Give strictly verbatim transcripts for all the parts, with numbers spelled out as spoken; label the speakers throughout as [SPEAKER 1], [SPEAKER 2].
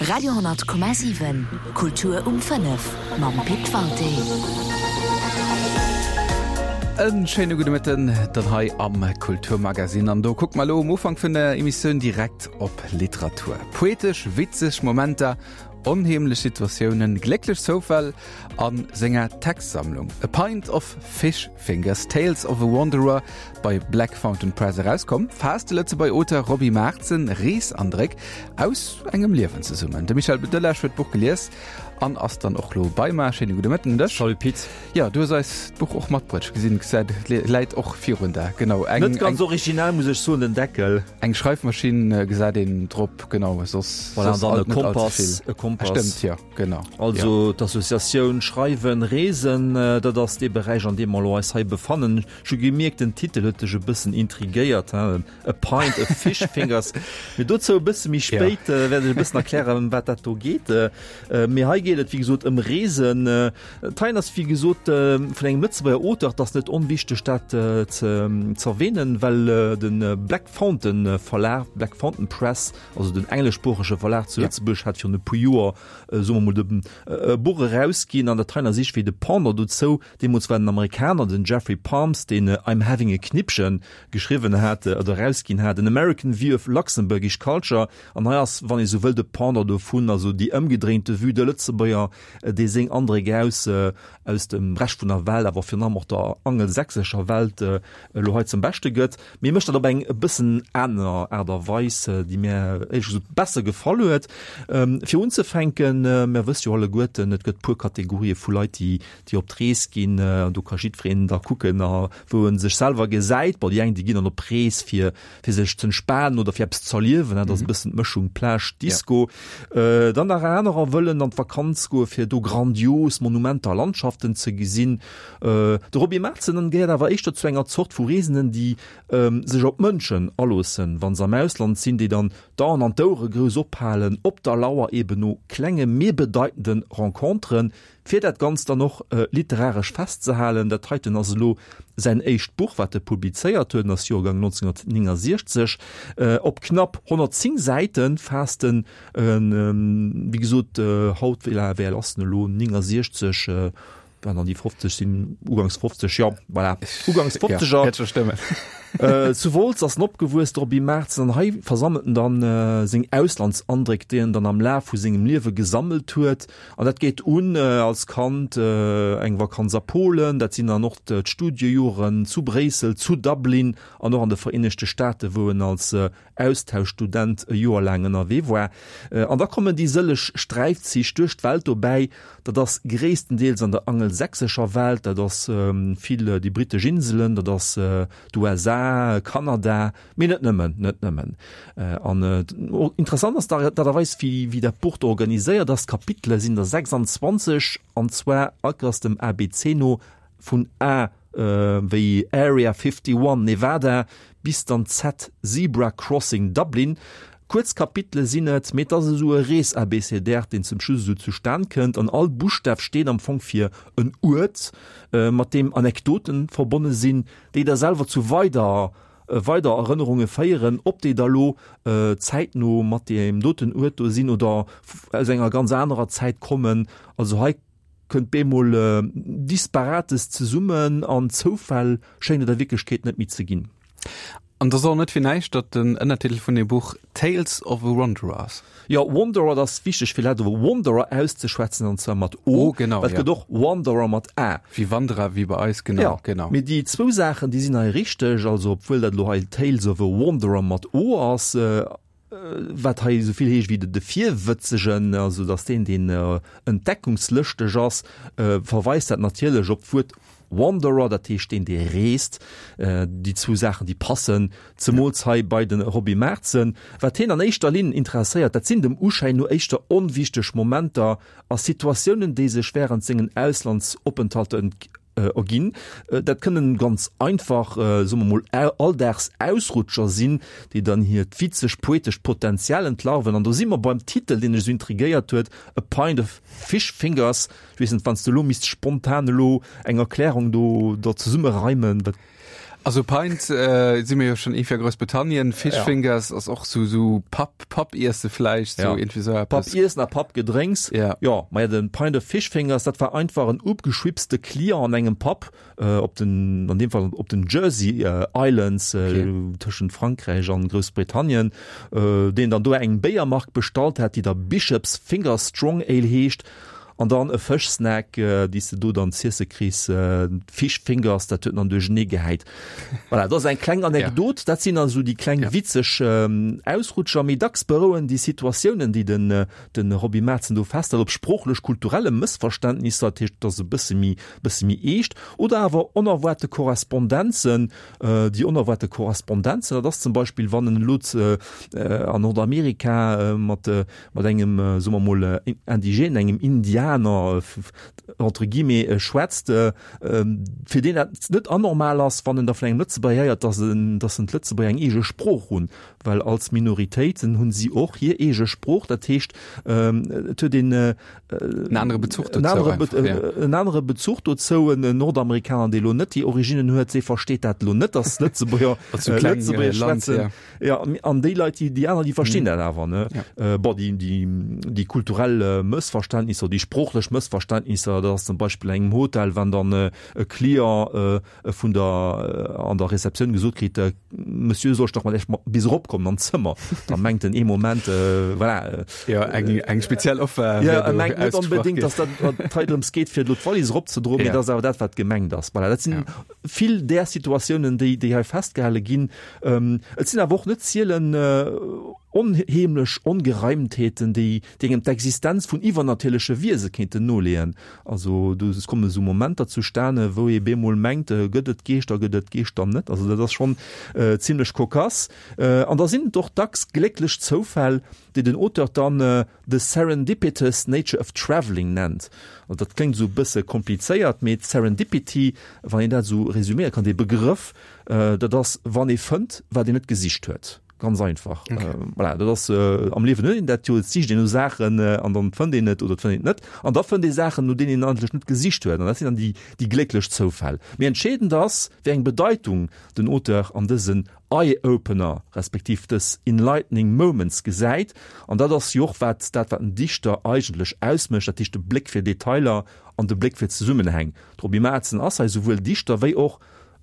[SPEAKER 1] Radio honnert Komma siwen, Kultur um fënnef mam Pit Walté.
[SPEAKER 2] En schéine gudde Mëtten dann hei am Kulturmagazin. An do kucke mer elo um Ufank vun der Emissioun direkt op Literatur. Poetesch, witzeg Momenter, onheemlech Situatiounen, glécklech Zoufäll a senger Textsammlung A Pint of Fish Fingers, Tales of a Wanderer bei Black Fountain Press erauskomm, faasst de Lëtzebuerger Auteur Roby Marzen Reesandréck aus engem Liewen zesummen. De Michel Delage huet d'Buch gelies an ass dann och lo bei mer. Schéine gudde Mëtten un dech.
[SPEAKER 3] Salut Pit.
[SPEAKER 2] Jo, du hues eis d'Buch och matbruecht. Ech gesinn, et läit och virun der. Genau,
[SPEAKER 3] eng. Net ganz original, muss ech soen, den Deckel.
[SPEAKER 2] Eng Schreifmaschinn gesäit een drop, genau, soss,
[SPEAKER 3] voilà, soss dann e Kompass, e Kompass.
[SPEAKER 2] Stëmmt, jo, genau.
[SPEAKER 3] Also d'Associatioun Schreiwen, Reesen, dat ass dee Beräich, an deem mer elo eis hei befannen. Ech hu gemierkt, den Titel huet dech e bëssen intrigéiert, he, A Pint of Fish Fingers. Mee dozou e bësse méi spéit wäert ech e bëssen erklären, ëm wat dat do geet. Mee hei geet et, wéi gesot, ëm Reesen. D'Heien ass, wéi gesot, vun engem Lëtzebuerger Auteur. Et ass net onwichteg, dat ze z'erwähnen, well de Black Fountain Verlag, Black Fountain Press, also den engleschsproochege Verlag zu Lëtzebuerg, hat virun e puer Joer, soe mer mol, de e Buch erausginn. An dat heien ass iergendwéi de Pendant dozou. Deemools war den Amerikaner, den Jeffrey Palms, deen I'm Having a Knippchen geschriwwen hat oder erausginn hat, An American View of Luxembourgish Culture. An hei ass, wann ee sou wëll, de Pendant dovun, also déi ëmgedréinte Vue, de Lëtzebuerger, dee seng Andréck aus aus dem Rescht vun der Welt, awer virun allem och der angelsächsescher Welt elo hei zum Beschte gëtt. Mee mécht dat op eng e bëssen aner Aart a Weis, déi mär éierlech gesot besser gefall huet. Fir unzefänken, mär wësse jo alleguerten, et gëtt puer Kategorië vu Leit, déi déi op d'Rees ginn. Do ka jiddwereen da kucken, wou e sech selwer gesäit. Bon, déi eng, déi ginn dann op Rees, fir fir sech z'entspanen oder fir eppes z'erliewen, dat ass e bëssen d'Mëschung Plage, Disco. Dann nach anerer wëllen an d'Vakanz goe fir do grandios Monumenter a Landschaften ze gesinn. De Roby Marzen gehéiert awer éischter zu enger Zort vu Reesenden, déi sech op Mënschen aloossen, wa se am Ausland sinn, déi dann d'Aen an d'Ouere grouss ophalen, op der Lauer eben no klenge mee bedeitende Renconteren, fir dat Ganzt dann och literaresch festzehalen. Dat heiten ass elo säin éischt Buch, wat e publizéiert huet, en ass Joergang nonzénghunnertnéngasiechzeg. Op knapp honnertzéng Säite faasst en, wéi gesot, haut, wéi al ass en elo, néngasiechzeg, Wann an déi fofzeg sinn, ugangs fofzeg, jo, voilà, ugangs fofzeger.
[SPEAKER 2] Ja, wäert scho stëmmen.
[SPEAKER 3] Zu Wolz ass en opgewuess, de Roby Marzen, an hei versammelt en dann seng Auslandsandréck, déi en dann am Laf vu sengem Liewe gesammelt huet. An dat geet un als Kand, eng Vakanz a Polen, dat sinn dann och d'Studiejoren zu Bréissel, zu Dublin an och an de Vereenegte Staate, wou en als Austauschstudent e Joer laang ënnerwee war. An da kommen déi sëlleg Sträifzich duerch d'Welt dobäi. Dat ass gréisstendeels an der angelsächsescher Welt, dat ass vill déi brittesch Inselen, dat ass d'U S A, Kanada, mee net nëmmen, net nëmmen. An interessant ass d'Aart a Weis, wéi dat Buch do organiséiert ass. D'Kapitele sinn der sechsanzwanzeg, an zwar all Kéiers dem A B C no, vun A wéi Area fifty one, Nevada, bis dann Z, Zebra Crossing, Dublin. Kuerz Kapitele sinn et, mee et ass esou e Rees-ABCDR, deen zum Schluss esou zustan kënnt. An all Buschtaf steet am Fong fir en Uert, mat deem Anekdoten verbonne sinn, déi da selwer zu weider weider Erënnerunge féieren, ob déi da lo zäitno mat deem doten Uert do sinn oder aus enger ganz anerer Zäit kommen. Also hei kënnt bemol Disparates zesummen an Zoufäll schéngt et a Wierklechkeet net méi ze ginn.
[SPEAKER 2] An et ass och net fir näischt, datt den Ënnertitel vun deem Buch Tales of a Wanderer ass.
[SPEAKER 3] Jo, Wanderer, et ass wichteg fir Leit och Wanderer auszeschwätzen, an zwar mat O,
[SPEAKER 2] O, genau,
[SPEAKER 3] well et
[SPEAKER 2] ja.
[SPEAKER 3] gëtt och Wanderer mat A.
[SPEAKER 2] Wéi Wanderer, wéi bei eis, genau,
[SPEAKER 3] Ja,
[SPEAKER 2] genau.
[SPEAKER 3] mee déi zwou Saachen, déi sinn hei richteg, also obwuel dat elo hei Tales of a Wanderer mat O ass, wat hei esou vill heescht wéi de Virwëtzegen, also datt deen, deen entdeckungslëschteg ass, verweist dat natierlech op d'Wuert Wanderer, dat heescht deen, dee reest. Déi zwou Saachen, déi passen, zemools hei bei de Roby Marzen. Wat hien an éischter Linn interesséiert, dat sinn dem Uschäin no éischter onwichteg Momenter a Situatiounen, déi sech wärend sengen Auslandsopenthalter erginn. Dat kënnen ganz einfach, soe mer mol, Alldagsausrutscher sinn, déi dann hiert witzeg poetescht Potenzial entlarven. An do si mer beim Titel, deen ech esou intrigéiert huet, A Pint of Fish Fingers. Ech weess net, wann s de elo misst spontan elo eng Erklärung do der zesummereimen, wat.
[SPEAKER 2] Also Pint äh, si mir jo schonn iergendwéi a Groussbritannien, Fish
[SPEAKER 3] Ja.
[SPEAKER 2] Fingers ass och sou sou Pub Pub Iesse vläicht sou
[SPEAKER 3] Ja.
[SPEAKER 2] iergendwéi sou
[SPEAKER 3] Pub
[SPEAKER 2] eppes.
[SPEAKER 3] Iessen a Pub Gedrénks.
[SPEAKER 2] Ja.
[SPEAKER 3] Ja, ma ja, den Pint of Fish Fingers, dat war einfach en opgeschwipste Client an engem Pub äh, op den an deem Fall op den Jersey äh, Islands äh,
[SPEAKER 2] Okay.
[SPEAKER 3] tëschent Frankräich an Groussbritannien, äh, deen dann do eng Béiermark bestallt hat, déi da Bishop's Finger Strong Ale heescht an dann e Fëschsnack äh, déi s de do dann z'iesse kriss äh, Fish Fingers dat huet en dann duerchenee gehäit. Voilà, dat ass eng kleng Anekdot, dat sinn also déi kleng
[SPEAKER 2] Ja.
[SPEAKER 3] witzeg ähm, Ausrutscher méi dacks berouen déi Situatiounen déi den äh, den Roby Marzen do festhält op sproochlech kulturelle Mëssverständnisser dat heescht dat ass e bësse méi bësse méi eescht oder awer onerwaarte Korrespondenzen äh, déi onerwaarte Korrespondenzen dat ass zum Beispill wann en elo äh, äh, an Nordamerika äh, mat äh, mat engem äh, soe mer mol äh, Indigène engem Indianer äh, f- entre guillemets äh, schwätzt äh, ähm, fir deen dat net anormal ass wann en da vun engem Lëtzebuerger héiert dass en dass en d'Lëtzebuerger eng eege Sprooch hunn well als Minoritéiten hunn si och hir eege Sprooch dat heescht ähm, et huet een äh,
[SPEAKER 2] En anere Bezuch
[SPEAKER 3] en
[SPEAKER 2] dozou
[SPEAKER 3] anere
[SPEAKER 2] einfach,
[SPEAKER 3] Be
[SPEAKER 2] ja.
[SPEAKER 3] äh, en anere Bezuch dozou en Nordamerikaner dee lo net déi Originnen huet dee versteet dat lo net dass Lëtzebuerger
[SPEAKER 2] Als sou
[SPEAKER 3] äh,
[SPEAKER 2] kleng,
[SPEAKER 3] Lëtzebuergesch
[SPEAKER 2] äh, Land,
[SPEAKER 3] schwätzen.
[SPEAKER 2] ja.
[SPEAKER 3] Ja, an déi Leit déi déi aner déi verstinn dat awer ne
[SPEAKER 2] Ja.
[SPEAKER 3] äh, bon, déi déi déi kulturell äh, Mëssverständnisser déi sproochlech Mëssverständnisser dat ass zum Beispill engem Hotel wann dann äh, e Client äh, vun der äh, an der Rezeptioun gesot kritt äh, Monsieur soll ech dach mol echt mol bis eropkommen an d'Zëmmer da mengt en ee Moment äh, voilà, äh,
[SPEAKER 2] Ja, eng eng speziell Offer
[SPEAKER 3] ja,
[SPEAKER 2] wär do
[SPEAKER 3] e mengt net
[SPEAKER 2] ausgesprach
[SPEAKER 3] onbedéngt
[SPEAKER 2] ginn.
[SPEAKER 3] dass dat dat hei drëms geet fir lo d'Wallis eropzedroen, mee
[SPEAKER 2] Ja.
[SPEAKER 3] dat ass awer dat wat gemengt ass. Voilà, dat sinn
[SPEAKER 2] Ja.
[SPEAKER 3] vill där Situatiounen déi déi hei festgehale ginn. Ähm, et sinn awer och net zielen äh, onheemlech Ongereimtheeten, déi déi engem d'Existenz vun iwwernatierleche Wiese kéinten noleeën. Also do et komme sou Momenter zustane, wou ee bemol mengt, äh, gëtt et Geeschter, gëtt et Geeschter net. Also dat ass schonn äh, zimmlech kokass. Äh, an da sinn et och dacks glécklech Zoufäll, déi den Auteur dann äh, the serendipitous nature of traveling nennt. An dat kléngt sou bësse komplizéiert, mee Serendipity, wann een dat sou resuméiere kann, de Begrëff, äh, dat ass wann ee fënnt, wat een net gesicht huet. Ganz einfach.
[SPEAKER 2] Okay.
[SPEAKER 3] Äh, voilà, dat ass äh, am Liewen huet een dat jo, et sicht een no Saachen äh, an dann fënnt een et oder fënnt een et net. An da fënnt ee Saachen, no deenen een eigentlech net gesicht huet. An dat sinn dann déi, déi glécklech Zoufäll. Mee entscheedend ass, wéi eng Bedeitung den Auteur an dësen Eye-Opener respektiv dës enlightening Moments gesäit. An dat ass jo och wat dat wat en Dichter eigentlech ausmécht, dat heescht de Bléck fir Detailer an de Bléck fir Zesummenhäng. De Roby Marzen ass hei souwuel Dichter wéi och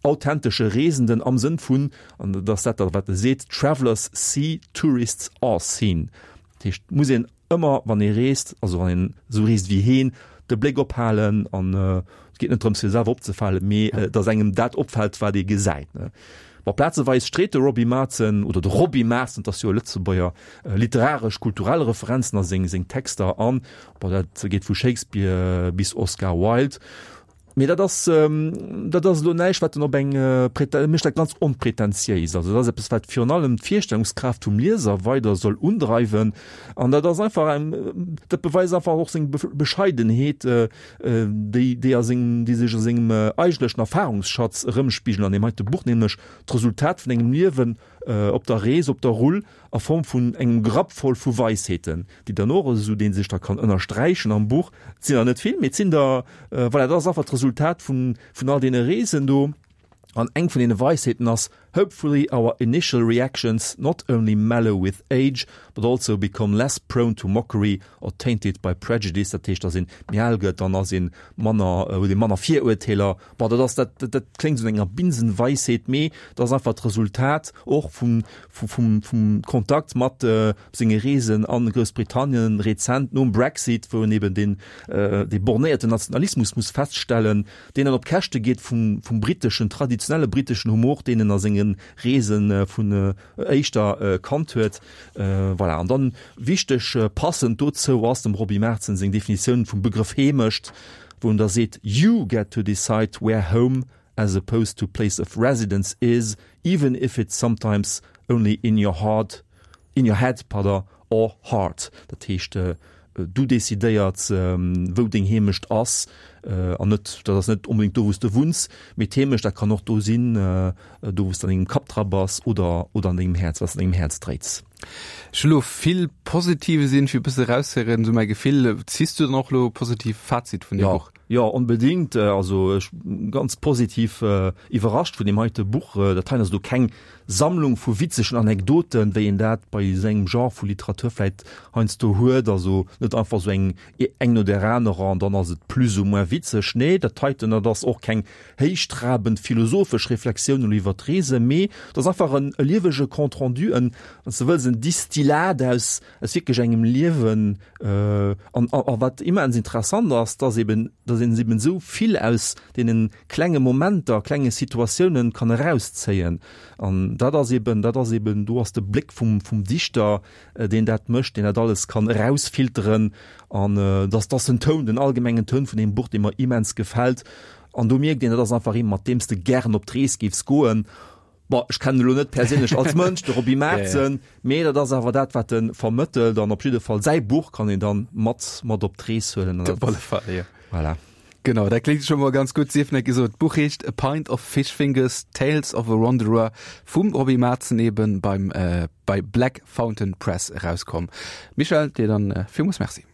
[SPEAKER 3] authentesche Reesenden am Sënn vun, an dat ass dat wat e seet, Travelers see, tourists are seen. Dat heescht, muss een ëmmer wann ee reest, also wann een sou reest wéi hien, de Bléck ophalen an äh, et geet net drëms fir selwer opzefalen, mee äh, dass engem dat opfält, wat ee gesäit. Ne? Bon, plazeweis street de Roby Marzen oder de Roby Marzen, dat ass jo e Lëtzebuerger äh, literaresch kulturell Referenzen a seng seng Texter an, bon, dat geet vu Shakespeare bis Oscar Wilde. Mee dat ass ähm, dat ass lo näischt wat en op eng äh, e mécht dat ganz onpretentiéis. Also dat ass eppes wat virun allem d'Virstellungskraaft vum Lieser weider soll undreiwen. An dat ass einfach eng, dat beweist einfach och seng Bescheidenheet, äh, äh, déi déi a seng déi sech a sengem äh, eigentlechen Erfahrungsschatz erëmspigelen an deem heite Buch, nämlech d'Resultat vun engem Liewen äh, op der Rees, op der Rull a Form vun engem Grapp voll vu Weisheeten, déi dann och esou dee sech da kann ënnersträichen am Buch. Et sinn der net vill, mee et sinn der äh, voilà, dat ass einfach d'Resultat vun vun all deene Reesen do. An eng vun deene Weisheeten ass hopefully our initial reactions not only mellow with age, but also become less prone to mockery or tainted by prejudice. Dat heescht, dass een méi al gëtt, dann ass een manner äh, huet ee manner Virurteeler. Bon, dat ass dat, dat, dat kléngt sou no enger Binsenweisheet, mee dat ass einfach d'Resultat och vum, vum, vum, vum Kontakt mat äh, senge Reesen an Groussbritannien rezent nom Brexit, wou en eben den äh, de bornéierten Nationalismus muss feststellen, deen dann op Käschte geet vum, vum britteschen traditionelle britteschen Humor, deen en a senge Reesen äh, vun äh, éischter äh, kannt huet. Äh, voilà. An dann wichteg äh, passend dozou ass dem Roby Marzen seng Definitioun vum Begrëff Heemecht, wou en da seet you get to decide where home as opposed to place of residence is, even if it's sometimes only in your heart, in your head, pardon, or heart. Dat heescht äh, du decidéiers ähm, wou deng Heemecht ass äh, an net dat ass net onbedéngt do wou s de wunns, mee d'Heemecht dat kann och do sinn äh, do wou s de an dengem Kapp dra bass oder oder an dengem Häerz, wat s de an dengem Häerz dréits.
[SPEAKER 2] Ech hu lo vill positive sinn fir bësse raushéieren, sou mäi Gefill ziss du dann och lo positiv Fazit vun deem
[SPEAKER 3] Ja.
[SPEAKER 2] Buch?
[SPEAKER 3] Jo, onbedéngt. Also ech ganz positiv iwwerrascht vun deem heite Buch. Dat hei ass elo keng Sammlung vu witzegen Anekdoten, wéi een dat bei esou engem Genre vu Literatur vläit heiansdo huet. Also net einfach esou eng eng no där anerer an dann ass et plus ou moins witzeg. Nee, dat heiten, dat ass och keng héichtrabend philosophesch Reflexioun elo iwwer d'Reesen, mee dat ass einfach en e liewege Compte rendu, en, wann s de wëlls, en Distillat aus aus wierklech engem Liewen. An a wat immens interessant ass, dass eben, dass een eben esou vill aus deene klenge Momenter, klenge Situatiounen kann erauszéien. An dat ass eben, dat ass eben, do ass de Bléck vum, vum Dichter, deen dat mécht, deen dat alles kann erausfilteren. An dass, dass den Toun, den allgemengen Toun vun deem Buch, dee mer immens gefält. An do mierkt een, dat ass einfach ee mat deem s de gären op d'Rees géifs goen. Bon, ech kennen elo net perséinlech als Mënsch, de Roby Marzen, mee dat ass awer dat, wat e vermëttelt. An op jidde Fall säi Buch kann een dann mat, mat op d'Rees huelen.
[SPEAKER 2] Op alle Fall, jo.
[SPEAKER 3] Voilà.
[SPEAKER 2] Genau, dat kléngt scho mol ganz gutt. Sief net gesot, d'Buch heescht A Pint of Fish Fingers, Tales of a Wanderer vum Roby Marzen eben beim, bei Black Fountain Press erauskomm. Michèle, dir dann villmools Merci.